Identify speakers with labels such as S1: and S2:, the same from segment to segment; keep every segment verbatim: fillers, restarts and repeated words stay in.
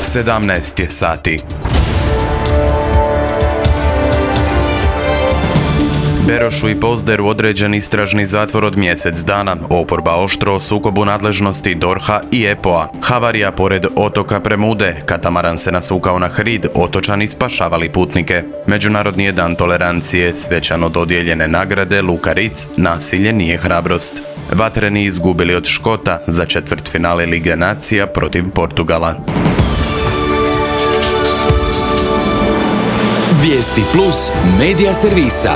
S1: sedamnaest je sati. Berošu i Pozderu određen istražni zatvor od mjesec dana. Oporba oštro o sukobu nadležnosti D O R H-a i E P O-a. Havarija pored otoka Premude. Katamaran se nasukao na hrid, otočani spašavali putnike. Međunarodni je dan tolerancije, svečano dodijeljene nagrade Luka Ritz, nasilje nije hrabrost. Vatreni izgubili od Škota za četvrtfinale Lige nacija protiv Portugala.
S2: Vijesti plus medija servisa.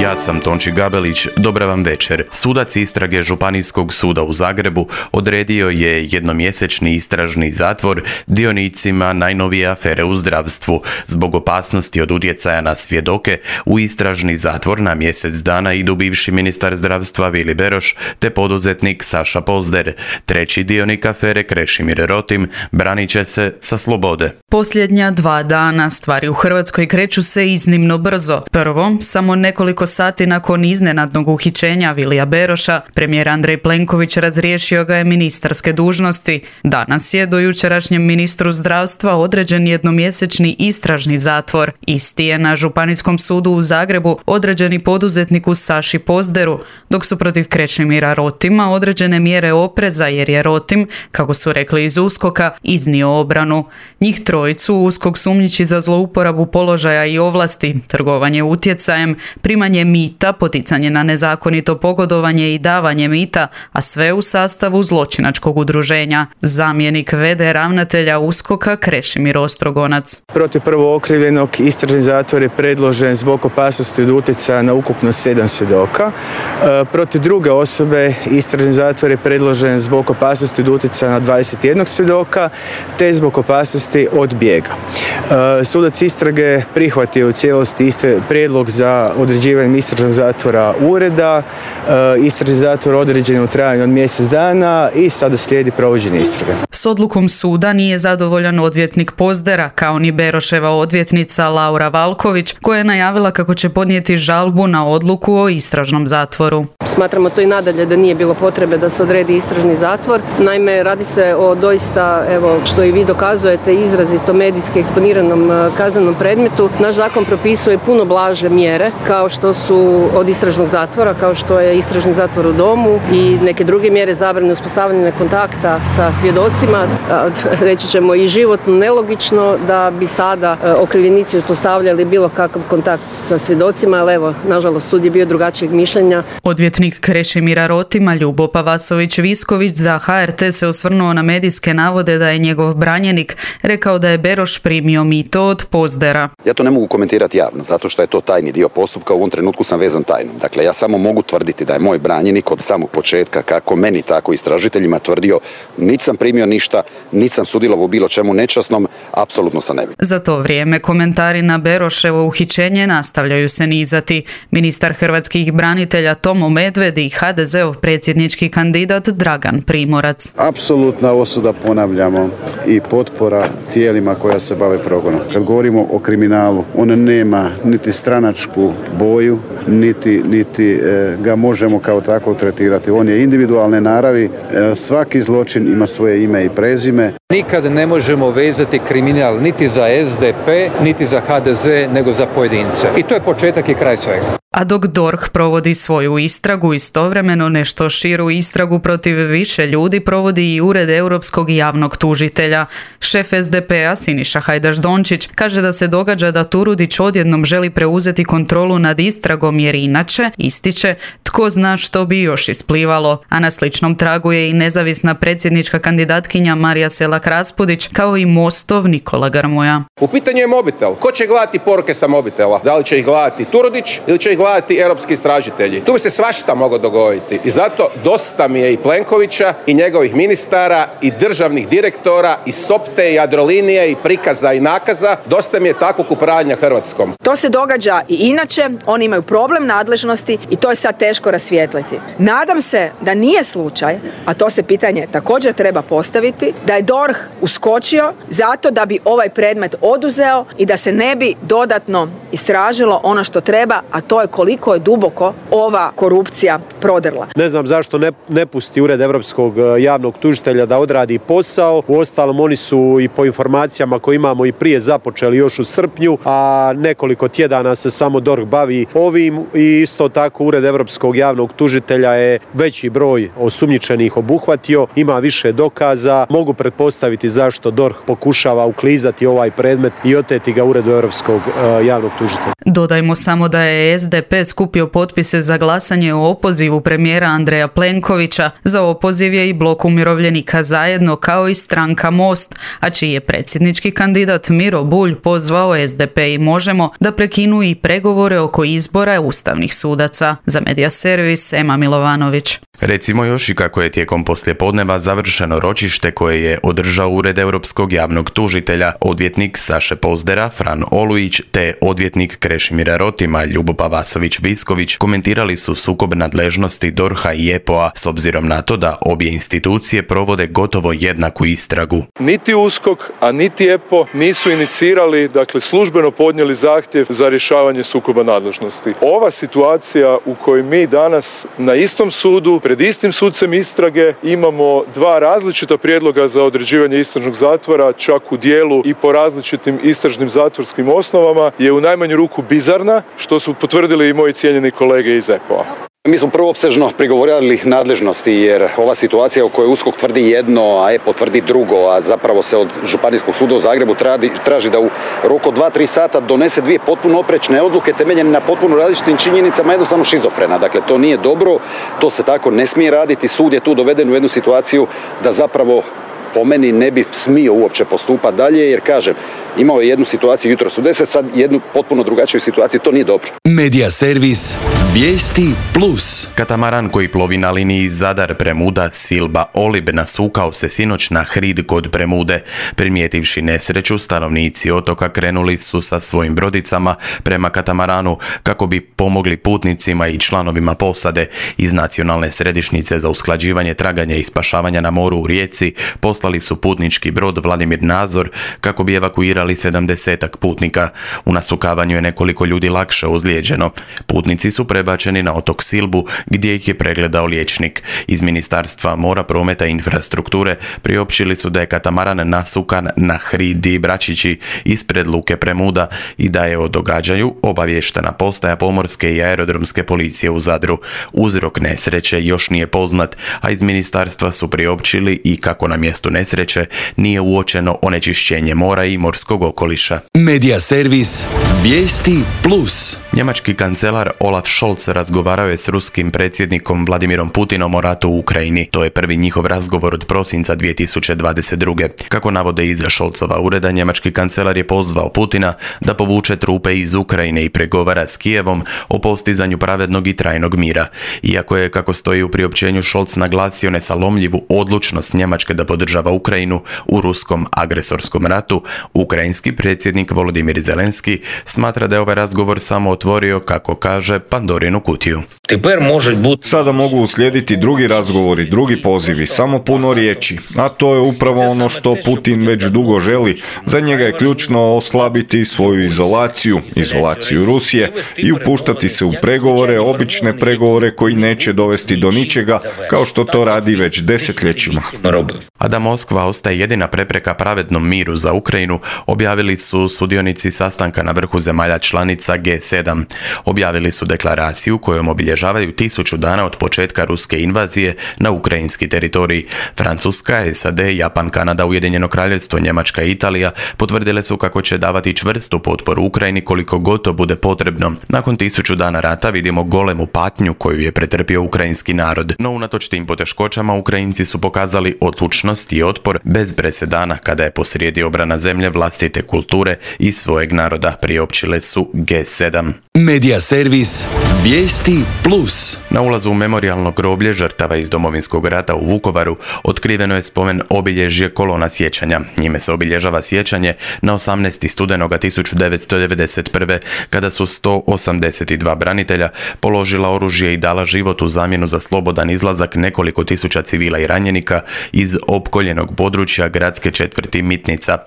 S1: Ja sam Tonči Gabelić, dobra vam večer. Sudac istrage Županijskog suda u Zagrebu odredio je jednomjesečni istražni zatvor dionicima najnovije afere u zdravstvu. Zbog opasnosti od utjecaja na svjedoke, u istražni zatvor na mjesec dana idu bivši ministar zdravstva Vili Beroš te poduzetnik Saša Pozder. Treći dionik afere Krešimir Rotim branit će se sa slobode.
S3: Posljednja dva dana stvari u Hrvatskoj kreću se iznimno brzo. Prvo, samo nekoliko sati nakon iznenadnog uhićenja Vilija Beroša, premijer Andrej Plenković razriješio ga je ministarske dužnosti. Danas je do jučerašnjem ministru zdravstva određen jednomjesečni istražni zatvor. Isti je na Županijskom sudu u Zagrebu određeni poduzetniku Saši Pozderu, dok su protiv Krešimira Rotima određene mjere opreza jer je Rotim, kako su rekli iz USKOK-a, iznio obranu. Njih trojicu USKOK sumnjiči za zlouporabu položaja i ovlasti, trgovanje utjecajem, primanje mita, poticanje na nezakonito pogodovanje i davanje mita, a sve u sastavu zločinačkog udruženja. Zamjenik v d ravnatelja USKOK-a Krešimir Ostrogonac.
S4: Protiv prvo okrivljenog istražni zatvor je predložen zbog opasnosti od utjecaja na ukupno sedam svjedoka. E, protiv druge osobe istražni zatvor je predložen zbog opasnosti od utjecaja na dvadeset jedan svjedoka te zbog opasnosti od bijega. E, sudac istrage prihvatio u cijelosti iste prijedlog za određivanje istražnog zatvora ureda. E, istražni zatvor određen u trajanju od mjesec dana i sada slijedi provođenje istrage.
S3: S odlukom suda nije zadovoljan odvjetnik Pozdera, kao ni Beroševa odvjetnica Laura Valković, koja je najavila kako će podnijeti žalbu na odluku o istražnom zatvoru.
S5: Smatramo to i nadalje da nije bilo potrebe da se odredi istražni zatvor. Naime, radi se o doista, evo, što i vi dokazujete, izrazito medijski eksponiranom kaznenom predmetu. Naš zakon propisuje puno blaže mjere, kao što su od istražnog zatvora, kao što je istražni zatvor u domu i neke druge mjere zabrane uspostavljanja kontakta sa svjedocima. Reći ćemo i životno nelogično da bi sada okrivljenici uspostavljali bilo kakav kontakt sa svjedocima, ali evo, nažalost, sud je bio drugačijeg mišljenja.
S3: Odvjetnik Krešimira Rotima, Ljubo Pavasović-Visković, za H R T se osvrnuo na medijske navode da je njegov branjenik rekao da je Beroš primio mito od Pozdera.
S6: Ja to ne mogu komentirati javno, zato što je to tajni dio postupka, u ovom trenutku sam vezan tajnom. Dakle, ja samo mogu tvrditi da je moj branjenik od samog početka, kako meni, tako i istražiteljima, tvrdio niti sam primio ništa, niti sam sudjelovao u bilo čemu nečasnom, apsolutno sam ne bi.
S3: Za to vrijeme komentari na Beroševo uhićenje nastavljaju se nizati. Ministar hrvatskih branitelja Tomo Medved i H D Z-ov predsjednički kandidat Dragan Primorac.
S7: Apsolutna osuda, ponavljamo, i potpora tijelima koja se bave progonom. Kad govorimo o kriminalu, on nema niti stranačku boju, niti, niti e, ga možemo kao tako tretirati. On je individualne naravi, e, svaki zločin ima svoje ime i prezime.
S8: Nikad ne možemo vezati kriminal niti za S D P, niti za H D Z, nego za pojedince. I to je početak i kraj svega.
S3: A dok D O R H provodi svoju istragu, istovremeno nešto širu istragu protiv više ljudi provodi i Ured Europskog javnog tužitelja. Šef S D P-a Siniša Hajdaš Dončić kaže da se događa da Turudić odjednom želi preuzeti kontrolu nad istragom jer inače, ističe, tko zna što bi još isplivalo. A na sličnom tragu je i nezavisna predsjednička kandidatkinja Marija Selak-Raspudić, kao i Mostov Nikola Grmoja.
S9: U pitanju je mobitel. Ko će gledati poruke sa mobitela? Da li će ih gledati Turudić ili će ih gledati europski istražitelji? Tu bi se svašta moglo dogoditi. I zato dosta mi je i Plenkovića i njegovih ministara i državnih direktora i Sopte i Jadrolinije i prikaza i nakaza. Dosta mi je takvog upravljanja Hrvatskom.
S10: To se događa i inače. Oni imaju problem nadležnosti i to je sad teško rasvijetliti. Nadam se da nije slučaj, a to se pitanje također treba postaviti, da je D O R H uskočio zato da bi ovaj predmet oduzeo i da se ne bi dodatno istražilo ono što treba, a to je koliko je duboko ova korupcija prodrla.
S11: Ne znam zašto ne, ne pusti Ured Europskog javnog tužitelja da odradi posao. Uostalom, oni su i po informacijama koje imamo i prije započeli još u srpnju, a nekoliko tjedana se samo D O R H bavi ovim i isto tako Ured Europskog javnog tužitelja je veći broj osumnjičenih obuhvatio, ima više dokaza. Mogu pretpostaviti zašto D O R H pokušava uklizati ovaj predmet i oteti ga Uredu Europskog uh, javnog tužitelja.
S3: Dodajmo samo da je S D P skupio potpise za glasanje o opozivu premijera Andreja Plenkovića. Za opoziv je i Blok umirovljenika Zajedno kao i stranka Most, a čiji je predsjednički kandidat Miro Bulj pozvao S D P i Možemo da prekinu i pregovore oko izbora ustavnih sudaca. Za Medija servis Ema Milovanović.
S1: Recimo još i kako je tijekom poslijepodneva završeno ročište koje je održao Ured Europskog javnog tužitelja, odvjetnik Saše Pozdera, Fran Olujić te odvjetnik Krešimira Rotima, Ljubopa Vasović-Visković komentirali su sukob nadležnosti D O R H-a i E P O-a s obzirom na to da obje institucije provode gotovo jednaku istragu.
S12: Niti USKOK, a niti E P O nisu inicirali, dakle službeno podnijeli zahtjev za rješavanje sukoba nadležnosti. Ova situacija u kojoj mi danas na istom sudu pred istim sucem istrage imamo dva različita prijedloga za određivanje istražnog zatvora, čak u dijelu i po različitim istražnim zatvorskim osnovama, je u najmanju ruku bizarna, što su potvrdili i moji cijenjeni kolege iz E P O-a.
S6: Mi smo prvo opsežno prigovorili nadležnosti jer ova situacija u kojoj USKOK tvrdi jedno, a E P O tvrdi drugo, a zapravo se od Županijskog suda u Zagrebu traži, traži da u roku od dva do tri sata donese dvije potpuno oprečne odluke temeljene na potpuno različitim činjenicama, jednostavno šizofrena. Dakle, to nije dobro, to se tako ne smije raditi. Sud je tu doveden u jednu situaciju da zapravo po meni ne bi smio uopće postupati dalje, jer kažem, imao je jednu situaciju jutros u deset, sad jednu potpuno drugačiju situaciju, to nije dobro.
S2: Medija servis Vijesti plus.
S1: Katamaran koji plovi na liniji Zadar Premuda Silba Olib nasukao se sinoć na hrid kod Premude. Primijetivši nesreću, stanovnici otoka krenuli su sa svojim brodicama prema katamaranu kako bi pomogli putnicima i članovima posade. Iz Nacionalne središnjice za usklađivanje traganja i spašavanja na moru u Rijeci poslali su putnički brod Vladimir Nazor kako bi evakuirali sedamdesetak putnika. U nasukavanju je nekoliko ljudi lakše ozlijeđeno. Putnici su prebačeni na otok Silbu gdje ih je pregledao liječnik. Iz Ministarstva mora, prometa i infrastrukture priopćili su da je katamaran nasukan na hridi Bračići ispred luke Premuda i da je o događaju obavještena postaja pomorske i aerodromske policije u Zadru. Uzrok nesreće još nije poznat, a iz ministarstva su priopćili i kako na mjestu nesreće nije uočeno onečišćenje mora i morskog okoliša.
S2: Medija servis Vijesti plus.
S1: Njemački kancelar Olaf Scholz razgovarao je s ruskim predsjednikom Vladimirom Putinom o ratu u Ukrajini. To je prvi njihov razgovor od prosinca dvije tisuće dvadeset druge. Kako navode iz Scholzova ureda, njemački kancelar je pozvao Putina da povuče trupe iz Ukrajine i pregovara s Kijevom o postizanju pravednog i trajnog mira. Iako je, kako stoji u priopćenju, Scholz naglasio nesalomljivu odlučnost Njemačke da podržava Ukrajinu u ruskom agresorskom ratu, ukrajinski predsjednik Volodimir Zelenski smatra da je ovaj razgovor samo otvorio, kako kaže, Pandorinu kutiju.
S13: Sada mogu uslijediti drugi razgovori, drugi pozivi, samo puno riječi. A to je upravo ono što Putin već dugo želi. Za njega je ključno oslabiti svoju izolaciju, izolaciju Rusije i upuštati se u pregovore, obične pregovore koji neće dovesti do ničega, kao što to radi već desetljećima.
S1: A da Moskva ostaje jedina prepreka pravednom miru za Ukrajinu, objavili su sudionici sastanka na vrhu zemalja članica G sedam. Objavili su deklaraciju kojom obilježavaju tisuću dana od početka ruske invazije na ukrajinski teritorij. Francuska, S A D, Japan, Kanada, Ujedinjeno Kraljevstvo, Njemačka i Italija potvrdile su kako će davati čvrstu potporu Ukrajini koliko god to bude potrebno. Nakon tisuću dana rata vidimo golemu patnju koju je pretrpio ukrajinski narod. No unatoč tim poteškoćama Ukrajinci su pokazali odlučnost i otpor bez presedana kada je posrijedi obrana zemlje, vlastite kulture i svojeg naroda, priopćile su G sedam.
S2: Medija servis Vijesti plus.
S1: Na ulazu u memorijalno groblje žrtava iz Domovinskog rata u Vukovaru otkriveno je spomen obilježje kolona sjećanja. Njime se obilježava sjećanje na osamnaesti studenoga tisuću devetsto devedeset prve. kada su sto osamdeset dva branitelja položila oružje i dala život u zamjenu za slobodan izlazak nekoliko tisuća civila i ranjenika iz opkoljenog područja gradske četvrti Mitnica.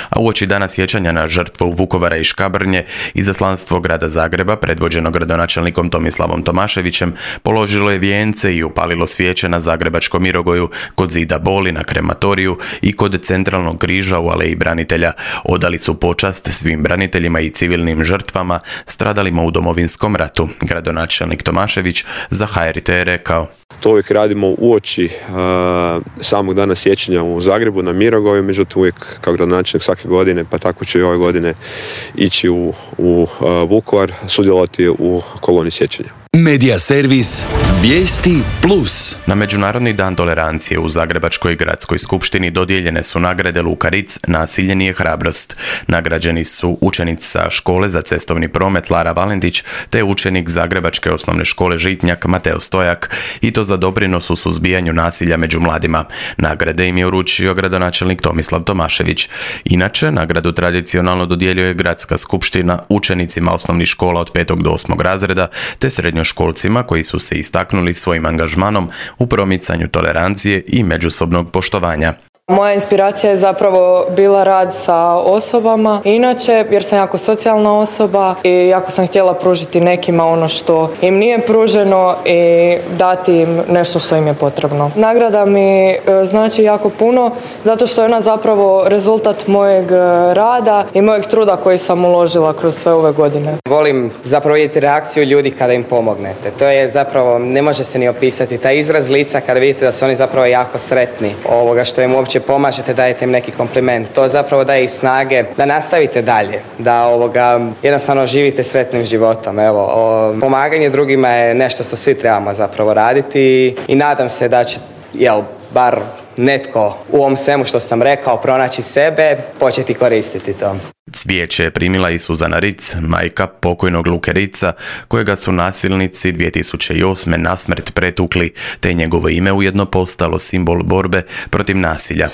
S1: A uoči dana sjećanja na žrtvu Vukovara i Škabrnje, izaslanstvo grada Zagreba, predvođeno gradonačelnikom Tomislavom Tomaševićem, položilo je vijence i upalilo svijeće na zagrebačkom Mirogoju, kod zida Boli na krematoriju i kod centralnog križa u Aleji branitelja. Odali su počast svim braniteljima i civilnim žrtvama stradalima u Domovinskom ratu. Gradonačelnik Tomašević za H R T je rekao:
S14: To uvijek radimo uoči uh, samog dana sjećanja u Zagrebu na Mirogoju, međutim uvijek kao gradonačelnik svake godine, pa tako ću i ove godine ići u, u uh, Vukovar, sudjelovati u koloni sjećanja.
S2: Medija servis Vijesti plus.
S1: Na Međunarodni dan tolerancije u Zagrebačkoj gradskoj skupštini dodijeljene su nagrade Luka Ritz, Nasilje nije hrabrost. Nagrađeni su učenica škole za cestovni promet Lara Valentić te učenik Zagrebačke osnovne škole Žitnjak Mateo Stojak, i to za doprinos u suzbijanju nasilja među mladima. Nagrade im je uručio gradonačelnik Tomislav Tomašević. Inače, nagradu tradicionalno dodjeljuje gradska skupština učenicima osnovnih škola od petog do osmog razreda te srednjoškolcima koji su se istaknuli svojim angažmanom u promicanju tolerancije i međusobnog poštovanja.
S15: Moja inspiracija je zapravo bila rad sa osobama, inače jer sam jako socijalna osoba i jako sam htjela pružiti nekima ono što im nije pruženo i dati im nešto što im je potrebno. Nagrada mi znači jako puno zato što je ona zapravo rezultat mojeg rada i mojeg truda koji sam uložila kroz sve ove godine.
S16: Volim zapravo vidjeti reakciju ljudi kada im pomognete. To je zapravo, ne može se ni opisati, taj izraz lica kada vidite da su oni zapravo jako sretni ovoga što im uopće pomažete, dajete im neki kompliment. To zapravo daje i snage da nastavite dalje, da ovoga jednostavno živite sretnim životom. Evo, o, pomaganje drugima je nešto što svi trebamo zapravo raditi i nadam se da će, jel, bar netko u ovom svemu što sam rekao pronaći sebe, početi koristiti to.
S1: Cvijeće je primila i Suzana Ritz, majka pokojnog Luke Ritza, kojega su nasilnici dvije tisuće osme nasmrt pretukli, te je njegovo ime ujedno postalo simbol borbe protiv nasilja.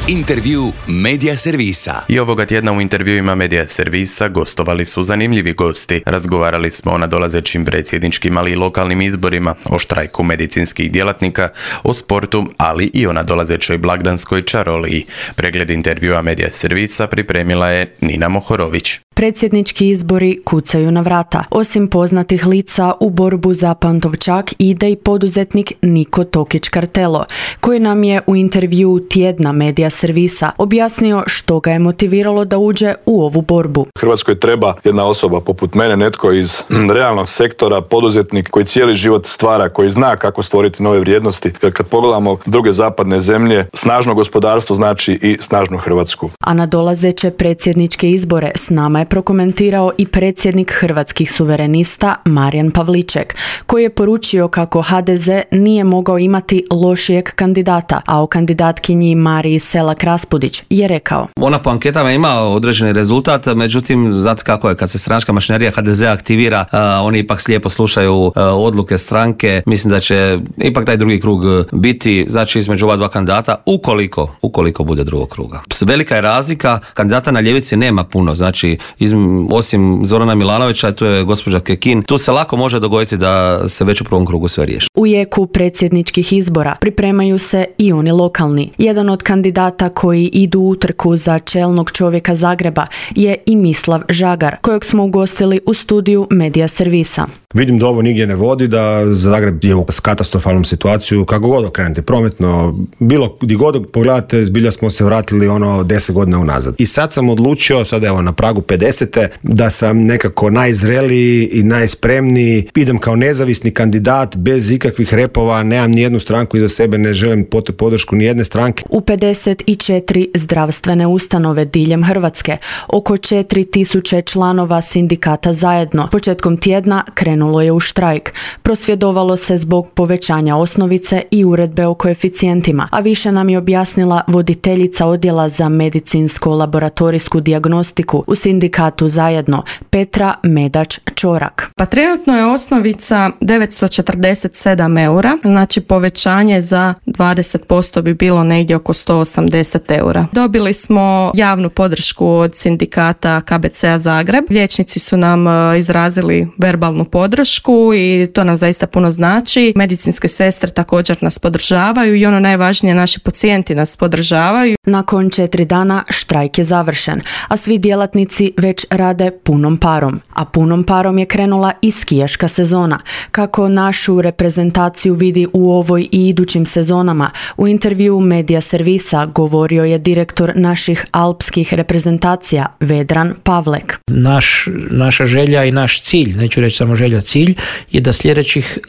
S2: Intervju Medija servisa.
S1: I ovoga tjedna u intervjuima Medija servisa gostovali su zanimljivi gosti. Razgovarali smo o nadolazećim predsjedničkim, ali i lokalnim izborima, o štrajku medicinskih djelatnika, o sportu, ali i o nadolazećoj blagdanskoj čaroliji. Pregled intervjua Medija servisa pripremila je Nina Mohorović.
S17: Predsjednički izbori kucaju na vrata. Osim poznatih lica, u borbu za Pantovčak ide i poduzetnik Niko Tokić-Kartelo, koji nam je u intervju tjedna Medija servisa objasnio što ga je motiviralo da uđe u ovu borbu.
S18: Hrvatskoj treba jedna osoba poput mene, netko iz realnog sektora, poduzetnik koji cijeli život stvara, koji zna kako stvoriti nove vrijednosti. Jer kad pogledamo druge zapadne zemlje, snažno gospodarstvo znači i snažnu Hrvatsku.
S17: A na dolazeće predsjedničke izbore s nama je prokomentirao i predsjednik Hrvatskih suverenista Marijan Pavliček, koji je poručio kako H D Z nije mogao imati lošijeg kandidata, a o kandidatkinji Mariji Selak-Raspudić je rekao:
S19: Ona po anketama ima određeni rezultat, međutim, znate kako je, kad se stranačka mašinerija H D Z aktivira, uh, oni ipak slijepo slušaju uh, odluke stranke. Mislim da će ipak taj drugi krug biti, znači, između ova dva kandidata, ukoliko, ukoliko bude drugog kruga. Velika je razlika, kandidata na ljevici nema puno, znači, iz, osim Zorana Milanovića, tu je gospođa Kekin, tu se lako može dogoditi da se već u prvom krugu sve riješi.
S17: U jeku predsjedničkih izbora pripremaju se i oni lokalni. Jedan od kandidata koji idu u utrku za čelnog čovjeka Zagreba je i Mislav Žagar, kojeg smo ugostili u studiju Medija servisa.
S20: Vidim da ovo nigdje ne vodi, da Zagreb je u katastrofalnom situaciju, kako god okrenete, prometno, bilo gdje god pogledate, zbilja smo se vratili ono deset godina unazad. I sad sam odlučio, sad evo na pragu pedesete, da sam nekako najzreliji i najspremniji, idem kao nezavisni kandidat, bez ikakvih repova, nemam ni jednu stranku iza sebe, ne želim podršku ni jedne stranke.
S17: U pedeset četiri zdravstvene ustanove diljem Hrvatske, oko četiri tisuće članova sindikata Zajedno, početkom tjedna krenu krenulo je u štrajk. Prosvjedovalo se zbog povećanja osnovice i uredbe o koeficijentima, a više nam je objasnila voditeljica odjela za medicinsko-laboratorijsku dijagnostiku u sindikatu Zajedno, Petra Medač-Čorak.
S21: Pa trenutno je osnovica devetsto četrdeset sedam eura, znači povećanje za dvadeset posto bi bilo negdje oko sto osamdeset eura. Dobili smo javnu podršku od sindikata K B C-a Zagreb. Liječnici su nam izrazili verbalnu podršku i to nam zaista puno znači. Medicinske sestre također nas podržavaju i ono najvažnije, naši pacijenti nas podržavaju.
S17: Nakon četiri dana štrajk je završen, a svi djelatnici već rade punom parom. A punom parom je krenula i skijaška sezona. Kako našu reprezentaciju vidi u ovoj i idućim sezonama, u intervju Medija Servisa govorio je direktor naših alpskih reprezentacija Vedran Pavlek.
S22: Naš, naša želja i naš cilj, neću reći samo želja, cilj je da sljedećih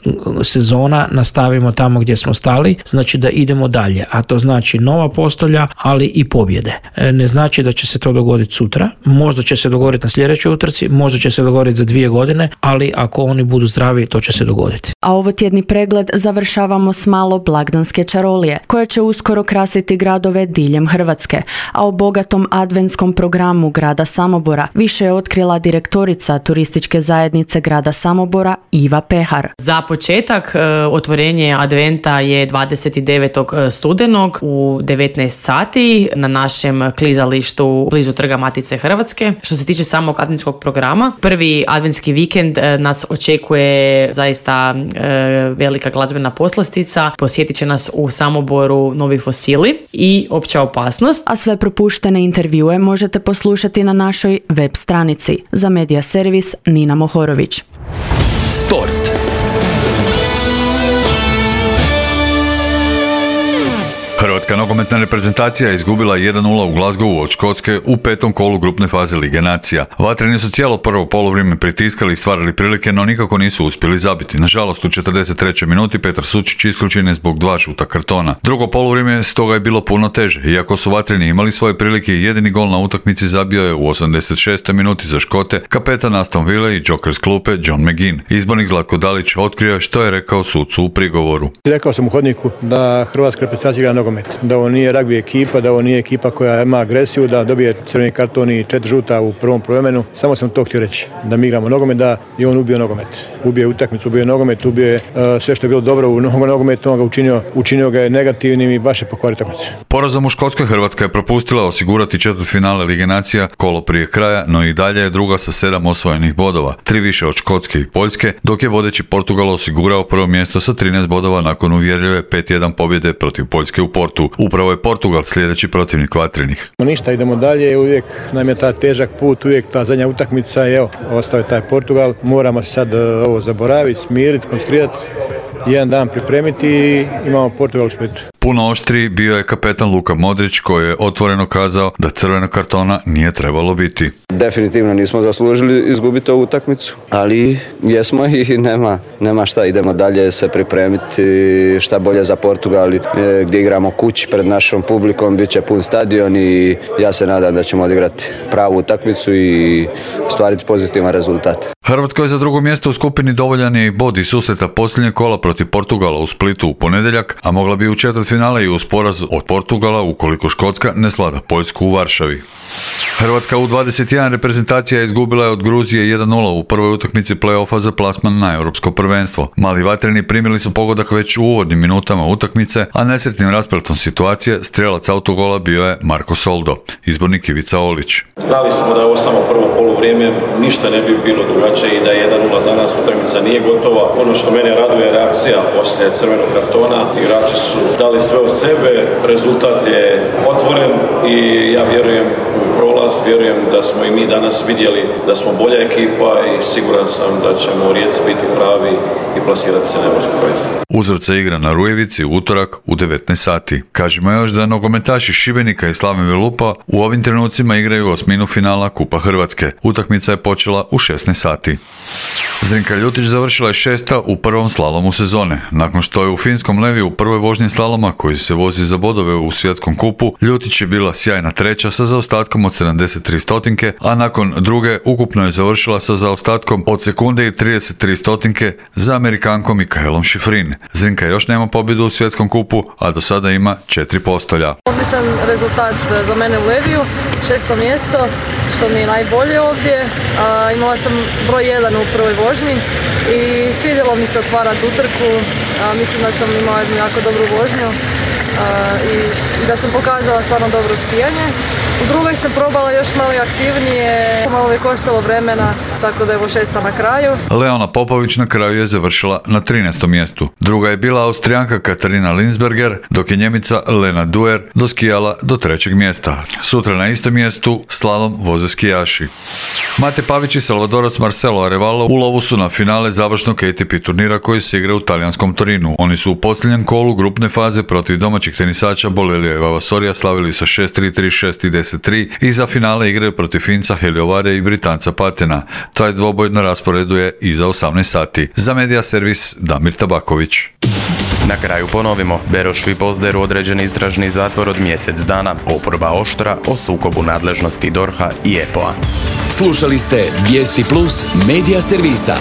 S22: sezona nastavimo tamo gdje smo stali, znači da idemo dalje, a to znači nova postolja, ali i pobjede. Ne znači da će se to dogoditi sutra, možda će se dogoditi na sljedećoj utrci, možda će se dogoditi za dvije godine, ali ako oni budu zdravi, to će se dogoditi.
S17: A ovo tjedni pregled završavamo s malo blagdanske čarolije, koje će uskoro krasiti gradove diljem Hrvatske, a o bogatom adventskom programu grada Samobora više je otkrila direktorica turističke zajednice grada Samobora Iva Pehar.
S23: Za početak otvorenje adventa je dvadeset devetog studenog u devetnaest sati na našem klizalištu blizu Trga Matice Hrvatske. Što se tiče samog adventskog programa, prvi adventski vikend nas očekuje zaista velika glazbena poslastica. Posjetit će nas u Samoboru Novi Fosili i Opća opasnost.
S17: A sve propuštene intervjue možete poslušati na našoj web stranici. Za Medija Servis Nina Mohorović.
S2: Sport.
S24: Hrvatska nogometna reprezentacija je izgubila jedan nula u Glasgowu od Škotske u petom kolu grupne faze Lige nacija. Vatreni su cijelo prvo polovrijeme pritiskali i stvarali prilike, no nikako nisu uspjeli zabiti. Nažalost, u četrdeset trećoj minuti Petar Sučić isključen je zbog dva žuta kartona. Drugo polovrijeme stoga je bilo puno teže. Iako su Vatreni imali svoje prilike, jedini gol na utakmici zabio je u osamdeset šestoj minuti za Škote kapetan Aston Ville i Joker s klupe John McGinn. Izbornik Zlatko Dalić otkrio što je rekao sucu u prigovoru.
S25: Rekao sam u hodniku da Hrvatska reprezentacija igra nogomet, da ovo nije ragbi ekipa, da ovo nije ekipa koja ima agresiju, da dobije crveni karton i četiri žuta u prvom prvovremenu. Samo sam to htio reći, da mi igramo nogomet, da je on ubio nogomet. Ubio je utakmicu, ubio je nogomet, ubio je uh, sve što je bilo dobro u nogometu, on ga učinio, učinio ga je negativnim i baš je pokvario utakmicu.
S24: Porazom u Škotskoj Hrvatska je propustila osigurati četvrtfinale Lige nacija kolo prije kraja, no i dalje je druga sa sedam osvojenih bodova, tri više od Škotske i Poljske, dok je vodeći Portugal osigurao prvo mjesto sa trinaest bodova nakon uvjerljive pet jedan pobjede protiv Poljske u Portu. Upravo je Portugal sljedeći protivnik Vatrenih.
S25: Ništa, idemo dalje, uvijek nam je ta težak put, uvijek ta zadnja utakmica i evo, ostao je taj Portugal. Moramo se sad ovo zaboraviti, smiriti, koncentrirati, jedan dan pripremiti i imamo Portugal u Splitu.
S24: Puno oštriji bio je kapetan Luka Modrić koji je otvoreno kazao da crvenog kartona nije trebalo biti.
S26: Definitivno nismo zaslužili izgubiti ovu utakmicu, ali jesmo i nema, nema šta, idemo dalje se pripremiti šta bolje za Portugal gdje igramo kući pred našom publikom, bit će pun stadion i ja se nadam da ćemo odigrati pravu utakmicu i stvariti pozitivan rezultat.
S24: Hrvatskoj za drugo mjesto u skupini dovoljan je i bod iz susreta posljednjeg kola protiv Portugala u Splitu u ponedjeljak, a mogla bi u četvrtfinale i uz poraz od Portugala ukoliko Škotska ne svlada Poljsku u Varšavi. Hrvatska u dvadeset jedan reprezentacija izgubila je od Gruzije jedan nula u prvoj utakmici play-offa za plasman na europsko prvenstvo. Mali Vatreni primili su pogodak već u uvodnim minutama utakmice, a nesretnim raspletom situacije strijelac autogola bio je Marko Soldo, izbornik Ivica Olić.
S27: Znali smo da je ovo samo prvo poluvrijeme, ništa ne bi bilo drugačije i da je jedan nula za nas, utakmica nije gotova. Ono što mene raduje je reakcija poslije crvenog kartona. Igrači su dali sve od sebe, rezultat je otvoren i ja vjerujem u prolaz, vjerujem da smo i mi danas vidjeli da smo bolja ekipa i siguran sam da ćemo u Rijeci biti pravi i plasirati se na europsko prvenstvo.
S24: Uzvrat igra na Rujevici u utorak u devetnaest sati. Kažemo još da nogometaši Šibenika i Slavne Velupa u ovim trenucima igraju osminu finala Kupa Hrvatske. Utakmica je počela u šesnaest sati. Zrinka Ljutić završila je šesta u prvom slalomu sezone. Nakon što je u finskom Levi u prvoj vožnji slaloma koji se vozi za bodove u svjetskom kupu, Ljutić je bila sjajna treća sa zaostatkom od sedamdeset sedamdeset tri stotinke, a nakon druge ukupno je završila sa zaostatkom od sekunde i trideset tri stotinke za Amerikankom Mikaelom Šifrin. Zrinka još nema pobjedu u svjetskom kupu, a do sada ima četiri postolja.
S4: Odličan rezultat za mene u Leviju, šesto mjesto, što mi je najbolje ovdje. A, imala sam broj jedan u prvoj vožnji i svidjelo mi se otvarati utrku. A, mislim da sam imala jednu jako dobru vožnju a, i da sam pokazala stvarno dobro skijanje. U drugoj sam probala još malo aktivnije, malo je koštalo vremena, tako da je ovo šesta na kraju.
S24: Leona Popović na kraju je završila na trinaestom mjestu. Druga je bila Austrijanka Katarina Linsberger, dok je Njemica Lena Duer doskijala do trećeg mjesta. Sutra na istom mjestu slalom voze skijaši. Mate Pavić i Salvadorac Marcelo Arevalo u lovu su na finale završnog A T P turnira koji se igra u talijanskom Torinu. Oni su u posljednjem kolu grupne faze protiv domaćih tenisača Bolelija i Vavasorija slavili sa šest tri, tri šest i deset tri i za finale igraju protiv Finca Heliovare i Britanca Patena. Taj dvoboj na rasporedu je iza osamnaest sati. Za Medija servis Damir Tabaković.
S1: Na kraju ponovimo, Beroš i Pozderu određen istražni zatvor od mjesec dana, oporba oštra o sukobu nadležnosti D O R H-a i E P O-a.
S2: Slušali ste Vijesti Plus Medija servisa.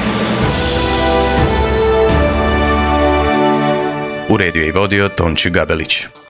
S1: Uredio i vodio Tonči Gabelić.